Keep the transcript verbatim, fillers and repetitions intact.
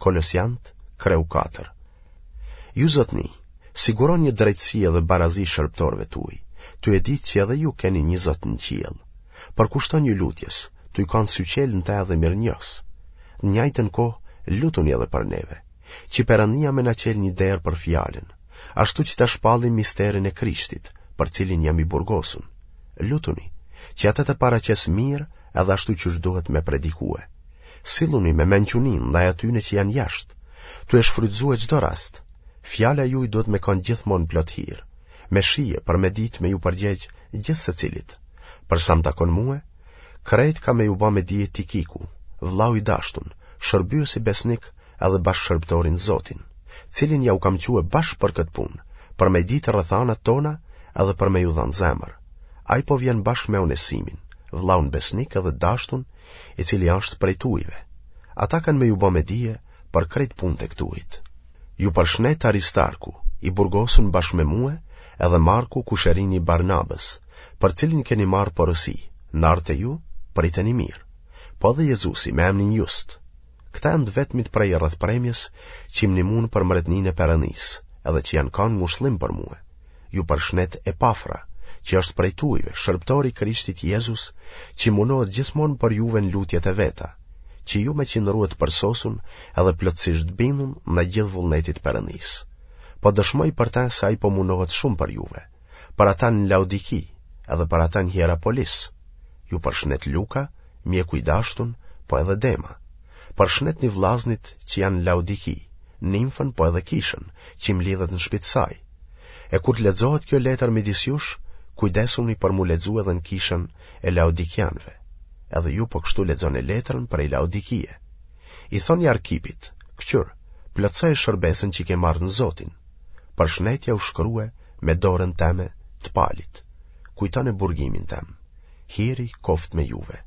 Kolosiant, kreu katër. Ju zotni, siguroni drejtësi edhe barazi shërbëtorëve tuaj, tu e ditë që edhe ju keni një Zot në qiell. Përkushtonju lutjes, tuj kanë syqelë në te edhe mirënjohës. Në njajtën kohë, lutuni edhe për neve, që Perëndia me na çelë një derë për fjalën, ashtu që ta shpallim misterin e Krishtit, për cilin jam i burgosun. Lutuni, që atë ta paraqes mirë edhe ashtu qysh duhet me predikue. Silluni me mençuni ndaj atyne që janë jashtë, tu e shfrytëzue çdo rast. Fjala juaj duhet me kanë gjithmonë plot hir, me shije për me ditë me ju përgjegj gjithsecilit. Për sa më takon mue, krejt ka me ju ba me dije Tikiku, vllau i dashtun, shërbyesi besnik edhe bashkëshërbëtori n'Zotin, cilin ja u kam çue bash për këtë punë, për me ditë rrethanat tona edhe për me ju dhanë zemër. Ai po vjen bashkë me Onesimin, vllaun besnik edhe dashtun, i cili është prej tujve. Ata kanë me ju ba me dije për krejt punët e këtuhit. Ju përshnet Aristarku, i burgosun bashkë me mue, edhe Marku kusherini i Barnabës, për cilin keni marrë porosi, n'ardhtë te ju, priteni mirë. Po edhe Jezusi me emnin Just. Këta janë të vetmit prej rrethpremjes që më nimun për mbretninë e Perëndisë, edhe që janë kanë ngushllim për mue. Ju përshnet Epafra, që është prej tujve, shërbëtori i Krishtit Jezus, që munohet gjithmonë për juve në lutjet e veta, që ju me qëndrue të përsosun edhe plotësisht të bindun ndaj gjithë vullnetit Perëndisë. Po dëshmoj për të se ai po munohet shumë për juve, për ata në Laodiki, edhe për ata në Hierapolis. Ju përshnet Luka, mjeku i dashtun, po edhe Dema. Përshnetni vllaznit që janë në Laodiki, Nimfën po edhe kishën, që mblidhet në shtëpi të saj. E kur të lexohet kjo letër midis jush, kujdesuni për mu lexu edhe në kishën e Laodikianëve. Edhe ju po kështu lexoni letrën prej Laodikie. I thoni Arkipit, këqyr, plotësoje shërbesën që ke marrë në Zotin. Përshnetja u shkrue me dorën teme të Palit. Kujtone burgimin tem. Hiri koftë me juve.